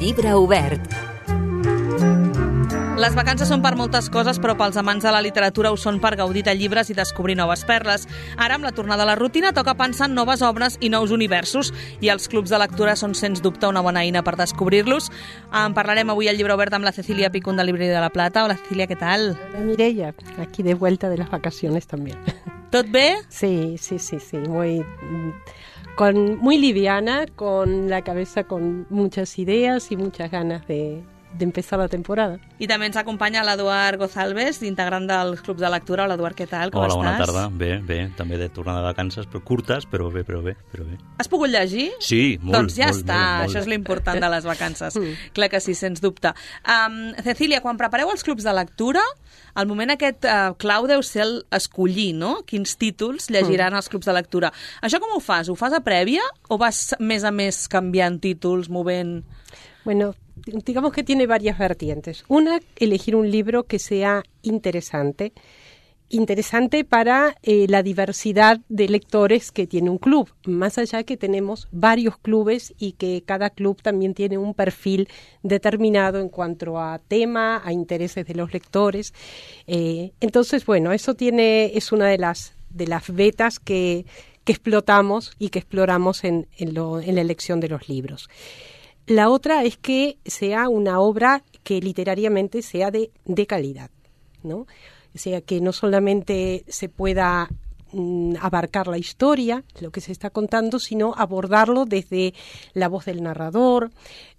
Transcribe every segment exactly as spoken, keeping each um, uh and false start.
Llibre obert. Les vacances són per moltes coses, però pels amants de la literatura ho són per gaudir de llibres i descobrir noves perles. Ara, amb la tornada a la rutina, toca pensar en noves obres i nous universos, i els clubs de lectura són, sens dubte, una bona eina per descobrir-los. En parlarem avui al Llibre Obert amb la Cecilia Picún de Librería de la Plata. Hola, Cecilia, ¿qué tal? Hola, Mireia, aquí de vuelta de las vacaciones también. ¿Tot bé? Sí, sí, sí, sí, muy, con, muy liviana, con la cabeza con muchas ideas y muchas ganas de... de empezar la temporada. I també ens acompanya l'Eduard Gozalves, integrant dels clubs de lectura. Hola, Eduard, què tal? Com Hola, estàs? bona tarda. Bé, bé. També de tornada de vacances, però curtes, però bé, però bé, però bé. Has pogut llegir? Sí, molt. Doncs ja molt, està, molt, molt. això és l'important de les vacances. Mm. Clar que sí, sens dubte. Um, Cecília, quan prepareu els clubs de lectura, el moment aquest uh, clau deu ser el escollir, no? Quins títols llegiran mm. els clubs de lectura. Això com ho fas? Ho fas a prèvia o vas més a més canviant títols, movent... Bueno, digamos que tiene varias vertientes. Una, elegir un libro que sea interesante, interesante para eh, la diversidad de lectores que tiene un club, más allá que tenemos varios clubes y que cada club también tiene un perfil determinado en cuanto a tema, a intereses de los lectores. Eh, entonces, bueno, eso tiene es una de las, de las vetas que, que explotamos y que exploramos en, en, lo, en la elección de los libros. La otra es que sea una obra que literariamente sea de, de calidad, ¿no? O sea, que no solamente se pueda mm, abarcar la historia, lo que se está contando, sino abordarlo desde la voz del narrador,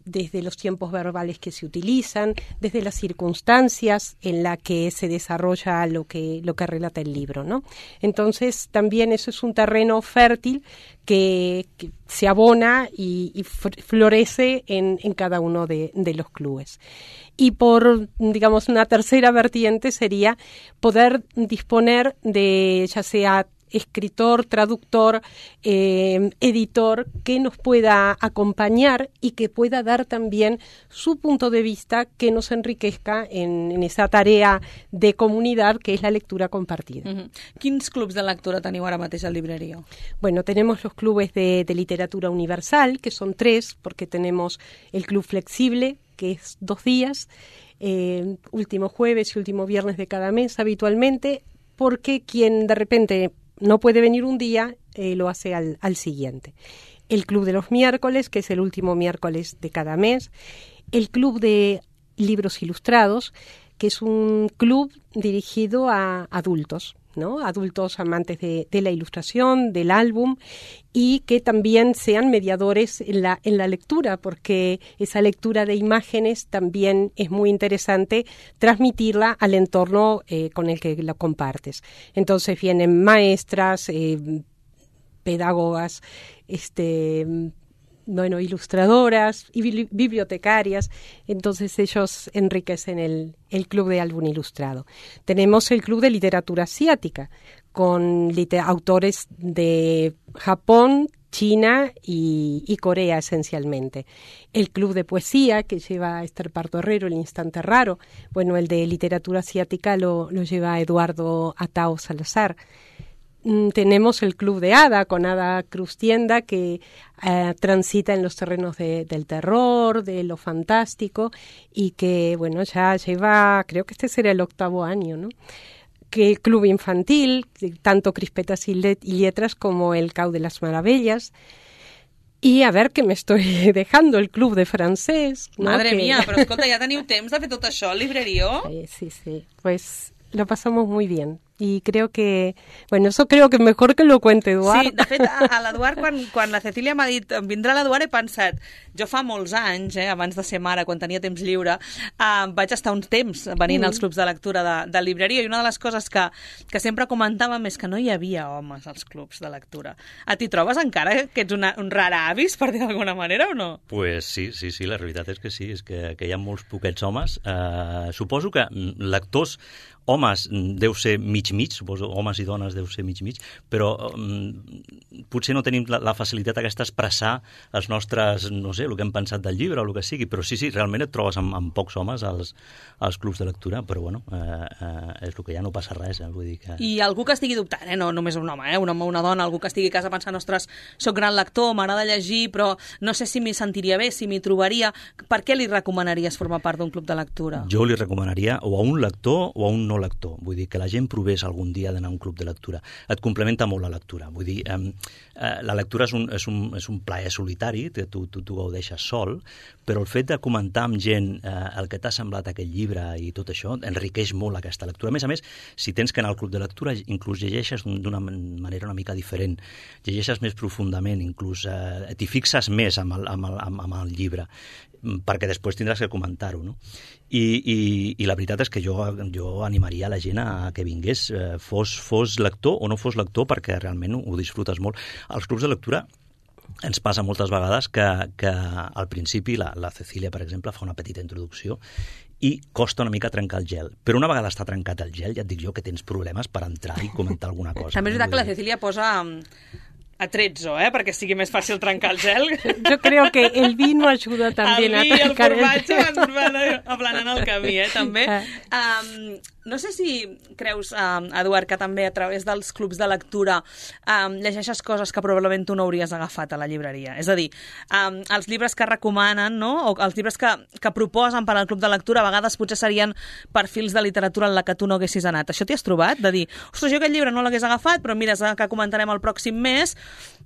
desde los tiempos verbales que se utilizan, desde las circunstancias en las que se desarrolla lo que, lo que relata el libro, ¿no? Entonces, también eso es un terreno fértil que, que se abona y, y florece en, en cada uno de, de los clubes. Y por, digamos, una tercera vertiente sería poder disponer de, ya sea escritor, traductor, eh, editor, que nos pueda acompañar y que pueda dar también su punto de vista que nos enriquezca en, en esa tarea de comunidad que es la lectura compartida. Uh-huh. Quins clubs de lectura teniu ara mateix al Librería? Bueno, tenemos los clubes de, de literatura universal, que son tres, porque tenemos el Club Flexible, que es dos días, eh, último jueves y último viernes de cada mes habitualmente, porque quien de repente no puede venir un día, eh, lo hace al, al siguiente. El Club de los Miércoles, que es el último miércoles de cada mes. El Club de Libros Ilustrados, que es un club dirigido a adultos, ¿no? Adultos amantes de, de la ilustración, del álbum, y que también sean mediadores en la, en la lectura, porque esa lectura de imágenes también es muy interesante transmitirla al entorno eh, con el que lo compartes. Entonces vienen maestras, eh, pedagogas, este... bueno, ilustradoras y bibli- bibliotecarias, entonces ellos enriquecen el, el Club de Álbum Ilustrado. Tenemos el Club de Literatura Asiática, con liter- autores de Japón, China y, y Corea esencialmente. El Club de Poesía, que lleva a Esther Pardo Herrero, El Instante Raro. Bueno, el de Literatura Asiática lo, lo lleva Eduardo Atao Salazar. Tenemos el Club de Ada, con Ada Cruz Tienda, que eh, transita en los terrenos de, del terror, de lo fantástico, y que, bueno, ya lleva, creo que este será el octavo año, ¿no? Que el Club Infantil, tanto Crispetas y, let- y Letras como el Cau de las Maravillas. I a veure, que m'estoy dejando el Club de Francès, ¿no? Madre que... mía, però escolta, ja teniu temps de fer tot això al Librería? Sí, sí, sí, pues lo pasamos muy bien. Y creo que, bueno, eso creo que mejor que lo cuente Eduard. Sí, de fet, a, a l'Eduard, quan, quan la Cecília m'ha dit vindrà l'Eduard, he pensat, jo fa molts anys, eh, abans de ser mare, quan tenia temps lliure, eh, vaig estar uns temps venint mm. als clubs de lectura de, de Librería, i una de les coses que, que sempre comentàvem és que no hi havia homes als clubs de lectura. A t'hi trobes encara que ets una, un rar avis, per dir d'alguna manera, o no? Pues sí, sí, sí, la realitat és que sí, és que, que hi ha molts poquets homes. Uh, suposo que lectors homes deu ser mig mig-mig, suposo, homes i dones deu ser mig-mig, però um, potser no tenim la, la facilitat aquesta d'expressar els nostres, no sé, el que hem pensat del llibre o el que sigui, però sí, sí, realment et trobes amb, amb pocs homes als, als clubs de lectura, però bueno, eh, eh, és el que ja no passa res, eh, vull dir que... I algú que estigui dubtant, eh? no només un home, eh? un home o una dona, algú que estigui a casa pensant, ostres, soc gran lector, m'agrada llegir, però no sé si m'hi sentiria bé, si m'hi trobaria, per què li recomanaries formar part d'un club de lectura? Jo li recomanaria o a un lector o a un no lector, vull dir que la gent provés algun dia d'anar a un club de lectura. Et complementa molt la lectura, vull dir, eh, eh, la lectura és un, és un, és un plaer solitari, que tu, tu, tu gaudeixes sol, però el fet de comentar amb gent eh, el que t'ha semblat aquest llibre i tot això enriqueix molt aquesta lectura. A més a més, si tens que anar al club de lectura, inclús llegeixes d'una manera una mica diferent, llegeixes més profundament, inclús eh, t'hi fixes més amb el, amb, el, amb, amb el llibre, perquè després tindràs que comentar-ho, no? I, i, i la veritat és que jo, jo animaria la gent a que vingués, eh, fos, fos lector o no fos lector, perquè realment ho, ho disfrutes molt. Als clubs de lectura ens passa moltes vegades que, que al principi la, la Cecília, per exemple, fa una petita introducció i costa una mica trencar el gel. Però una vegada està trencat el gel, ja et dic jo que tens problemes per entrar i comentar alguna cosa. També és veritat que la Cecília posa atrezzo, eh, perquè sigui més fàcil trencar el gel. Yo creo que el vino ayuda también a trencar el formatge van, van aplanant el camí, eh, també. Um, no sé si creus, um, Eduard, que també a través dels clubs de lectura um, llegeixes coses que probablement tu no hauries agafat a la llibreria. És a dir, um, els llibres que recomanen, no?, o els llibres que, que proposen per al club de lectura, a vegades potser serien perfils de literatura en la que tu no haguessis anat. Això t'hi has trobat? De dir, ostres, jo aquest llibre no l'hagués agafat, però mira, que comentarem el pròxim mes,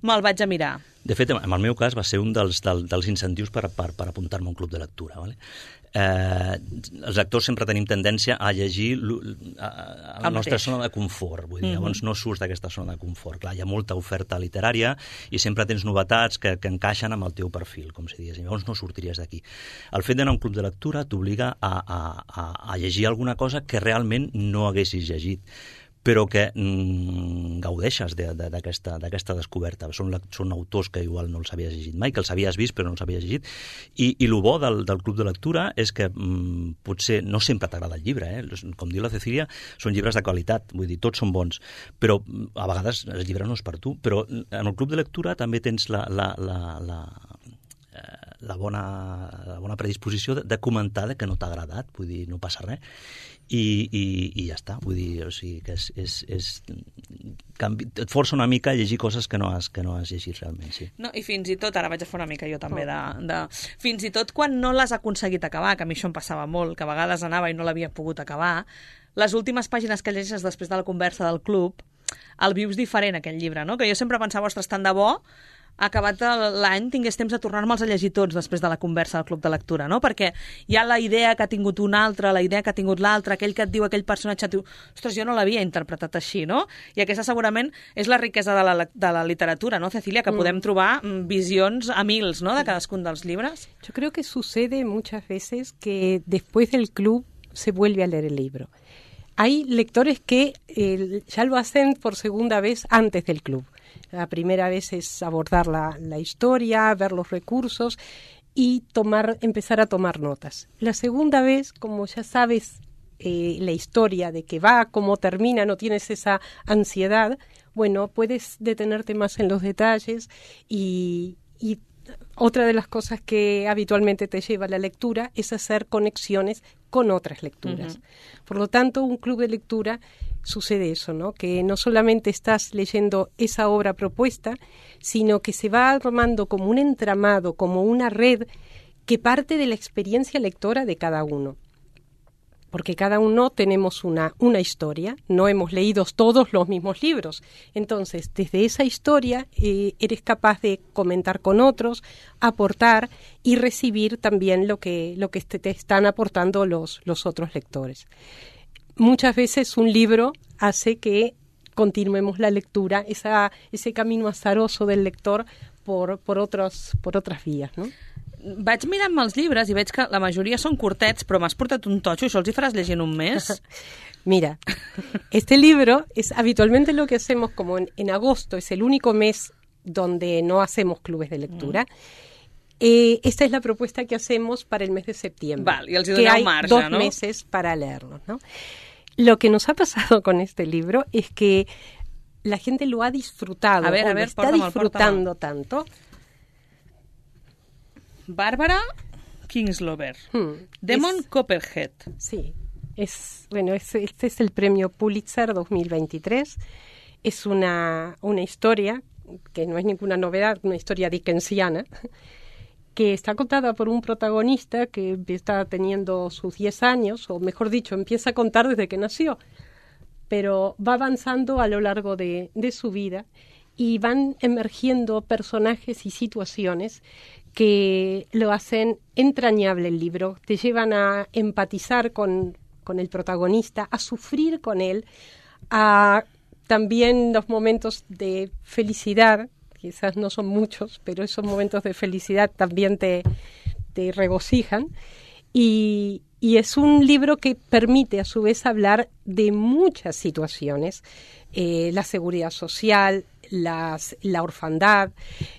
me'l vaig a mirar. De fet, en el meu cas va ser un dels, del, dels incentius per, per, per apuntar-me a un club de lectura. Vale? Eh, els lectors sempre tenim tendència a llegir a, a la nostra zona de confort. Vull dir, mm-hmm. Llavors no surts d'aquesta zona de confort. Clar, hi ha molta oferta literària i sempre tens novetats que, que encaixen amb el teu perfil, com si digués. Llavors no sortiries d'aquí. El fet d'anar a un club de lectura t'obliga a, a, a, a llegir alguna cosa que realment no haguessis llegit, però que mm, gaudeixes d'aquesta de, de, descoberta. Són, són autors que igual no els havies llegit mai, que els havies vist però no els havies llegit, i, i el bo del, del club de lectura és que mm, potser no sempre t'agrada el llibre, eh? Com diu la Cecília, són llibres de qualitat, vull dir, tots són bons, però a vegades el llibre no és per tu, però en el club de lectura també tens la, la, la, la, la, bona, la bona predisposició de, de comentar de que no t'ha agradat, vull dir, no passa res, I, i, i ja està, vull dir, o sigui, que és, és, és canvi, et força una mica a llegir coses que no has, que no has llegit realment, sí. No, i fins i tot, ara vaig a fer una mica jo també, de, de, fins i tot quan no l'has aconseguit acabar, que a mi això em passava molt, que a vegades anava i no l'havia pogut acabar, les últimes pàgines que llegeixes després de la conversa del club, el vius diferent, aquell llibre, no? Que jo sempre pensava, ostres, tant de bo, acabat l'any tingués temps de tornar-me'ls a llegir tots després de la conversa del club de lectura, no? Perquè hi ha la idea que ha tingut un altre, la idea que ha tingut l'altre, aquell que et diu aquell personatge, et diu, ostres, jo no l'havia interpretat així, no? I aquesta segurament és la riquesa de la, de la literatura, no, Cecília? Que podem trobar visions a mils, no?, de cadascun dels llibres. Yo creo que sucede muchas veces que después del club se vuelve a leer el libro. Hay lectores que eh, ya lo hacen por segunda vez antes del club. La primera vez es abordar la, la historia, ver los recursos y tomar, empezar a tomar notas. La segunda vez, como ya sabes eh, la historia de qué va, cómo termina, no tienes esa ansiedad, bueno, puedes detenerte más en los detalles y, y otra de las cosas que habitualmente te lleva a la lectura es hacer conexiones con otras lecturas. Uh-huh. Por lo tanto, un club de lectura sucede eso, ¿no? Que no solamente estás leyendo esa obra propuesta, sino que se va armando como un entramado, como una red que parte de la experiencia lectora de cada uno. Porque cada uno tenemos una, una historia, no hemos leído todos los mismos libros. Entonces, desde esa historia eh, eres capaz de comentar con otros, aportar y recibir también lo que, lo que te, te están aportando los, los otros lectores. Muchas veces un libro hace que continuemos la lectura, esa, ese camino azaroso del lector por, por, otros, por otras vías, ¿no? Vaig mirant-me els llibres i veig que la majoria són curtets, però m'has portat un totxo, això els hi faràs llegir en un mes? Mira, este libro es habitualmente lo que hacemos como en, en agosto, es el único mes donde no hacemos clubes de lectura. Mm. Eh, esta es la propuesta que hacemos para el mes de septiembre. Val, i els hi que doneu hay marge, dos no? meses para leerlos, ¿no? lo que nos ha pasado con este libro es que la gente lo ha disfrutado, a ver, o a lo ver, está porta'm, disfrutando tanto. Bárbara Kingslover, Hmm, Demon es- Copperhead. Sí, es, bueno, es- este es el premio Pulitzer dos mil veintitrés. Es una, una historia que no es ninguna novedad, una historia dickensiana, que está contada por un protagonista que está teniendo sus diez años, o mejor dicho, empieza a contar desde que nació, pero va avanzando a lo largo de, de su vida y van emergiendo personajes y situaciones que lo hacen entrañable el libro, te llevan a empatizar con, con el protagonista, a sufrir con él, a también los momentos de felicidad, quizás no son muchos, pero esos momentos de felicidad también te, te regocijan. Y, y es un libro que permite a su vez hablar de muchas situaciones, eh, la seguridad social, las, la orfandad,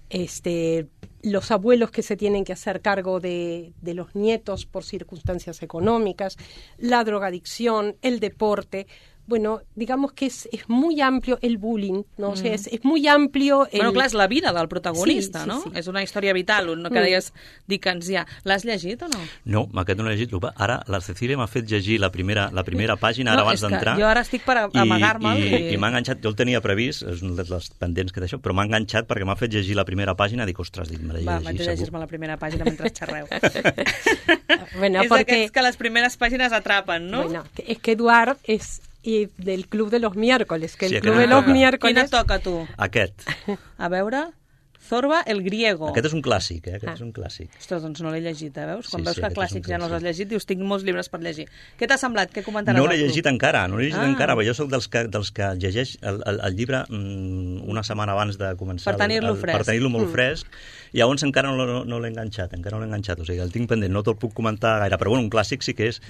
este, los abuelos que se tienen que hacer cargo de, de los nietos por circunstancias económicas, la drogadicción, el deporte. Bueno, digamos que es, es muy amplio el bullying, ¿no? Mm. O sea, es, es muy amplio... El... Bueno, clar, és la vida del protagonista, sí, sí, no? sí. És una història vital, no que Mm. deies dickensià. L'has llegit o no? No, aquest no l'he llegit. Ara la Cecília m'ha fet llegir la primera, la primera pàgina, ara No, abans és que d'entrar. jo ara estic per a- amagar-me'l I, i- i, i m'ha enganxat, jo el tenia previst, és un dels pendents que d'això, però m'ha enganxat perquè m'ha fet llegir la primera pàgina i dic, ostres, dic, me l'he Va, llegit vaig a segur. llegir-me la primera pàgina mentre xerreu. Bueno, és porque... d'aquests que les primeres pàgines atrapen, no? Bueno, que- es que Eduard es y del Club de los Miércoles, que Sí, el aquest Club de em los toca. Quina Miércoles... et toca, tu? Aquest. A veure... Zorba el griego. Aquest és un clàssic, eh? Aquest Ah. és un clàssic. Ostres, doncs no l'he llegit, eh? Veus? Quan Sí, veus sí, que aquest és un clàssics ja no els has clàssic. llegit, dius, tinc molts llibres per llegir. Què t'ha semblat? Què comentaràs? No al l'he club? llegit encara, no l'he llegit Ah. encara, però jo sóc dels que, dels que llegeix el, el, el llibre mm, una setmana abans de començar. Per tenir-lo el, el, fresc. Per tenir-lo molt Mm. fresc, i llavors encara no, no, no l'he enganxat, encara no l'he enganxat, o sigui, el tinc pendent, no te'l puc comentar gaire, però bueno, un clàssic sí que és,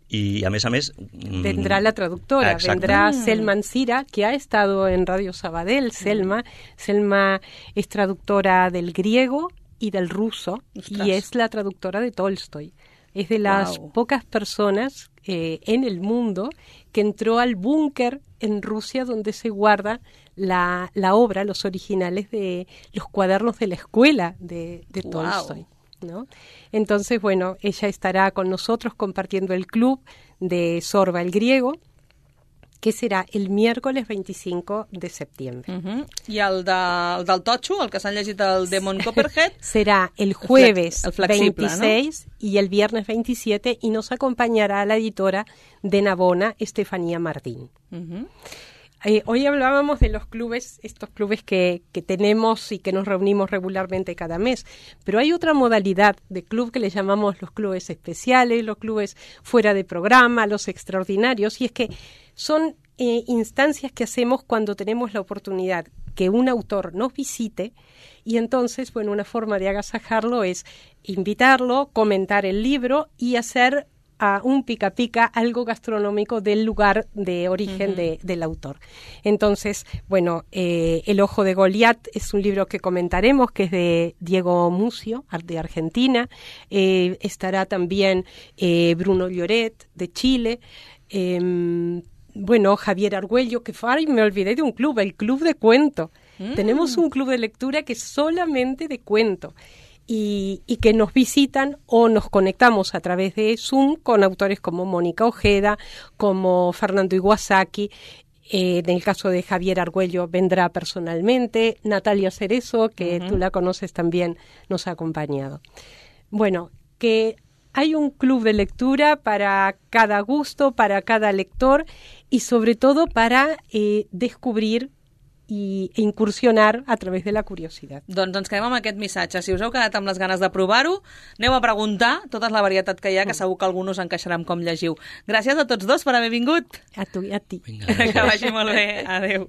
y a més a més... mm, Vendrá la traductora, Exacte. vendrá Mm. Selma Ancira, que ha estado en Radio Sabadell, Selma. Selma es traductora del griego y del ruso, Ostras. y es la traductora de Tolstoy. Es de las Guau. pocas personas eh, en el mundo que entró al búnker en Rusia donde se guarda la, la obra, los originales de los cuadernos de la escuela de, de Guau. Tolstoy, ¿no? Entonces, bueno, ella estará con nosotros compartiendo el club de Zorba el griego, que será el miércoles veinticinco de septiembre. Uh -huh. I el, de, el del Totxo, el que s'han llegit el Demon Copperhead, Será el jueves el flexible, veintiséis y el viernes veintisiete, y nos acompañará la editora de Navona, Estefanía Martín. uh -huh. Eh, hoy hablábamos de los clubes, estos clubes que, que tenemos y que nos reunimos regularmente cada mes, pero hay otra modalidad de club que le llamamos los clubes especiales, los clubes fuera de programa, los extraordinarios, y es que son eh, instancias que hacemos cuando tenemos la oportunidad que un autor nos visite, y entonces, bueno, una forma de agasajarlo es invitarlo, comentar el libro y hacer a un pica pica algo gastronómico del lugar de origen Uh-huh. de, del autor. Entonces, bueno, eh, El ojo de Goliat es un libro que comentaremos, que es de Diego Mucio, ar- de Argentina. Eh, estará también eh, Bruno Lloret, de Chile. Eh, bueno, Javier Argüello, que fue, ay, me olvidé de un club, el Club de Cuento. Mm. Tenemos un club de lectura que es solamente de cuento. Y, y que nos visitan o nos conectamos a través de Zoom con autores como Mónica Ojeda, como Fernando Iwasaki. Eh, en el caso de Javier Argüello vendrá personalmente, Natalia Cerezo, que Uh-huh. tú la conoces también, nos ha acompañado. Bueno, que hay un club de lectura para cada gusto, para cada lector, y sobre todo para eh, descubrir i incursionar a través de la curiositat. Doncs ens quedem amb aquest missatge. Si us heu quedat amb les ganes de provar-ho, aneu a preguntar tota la varietat que hi ha, que segur que algú us encaixarà amb com llegiu. Gràcies a tots dos per haver vingut. A tu i a ti. Vinga, Que vagi molt bé. Adéu.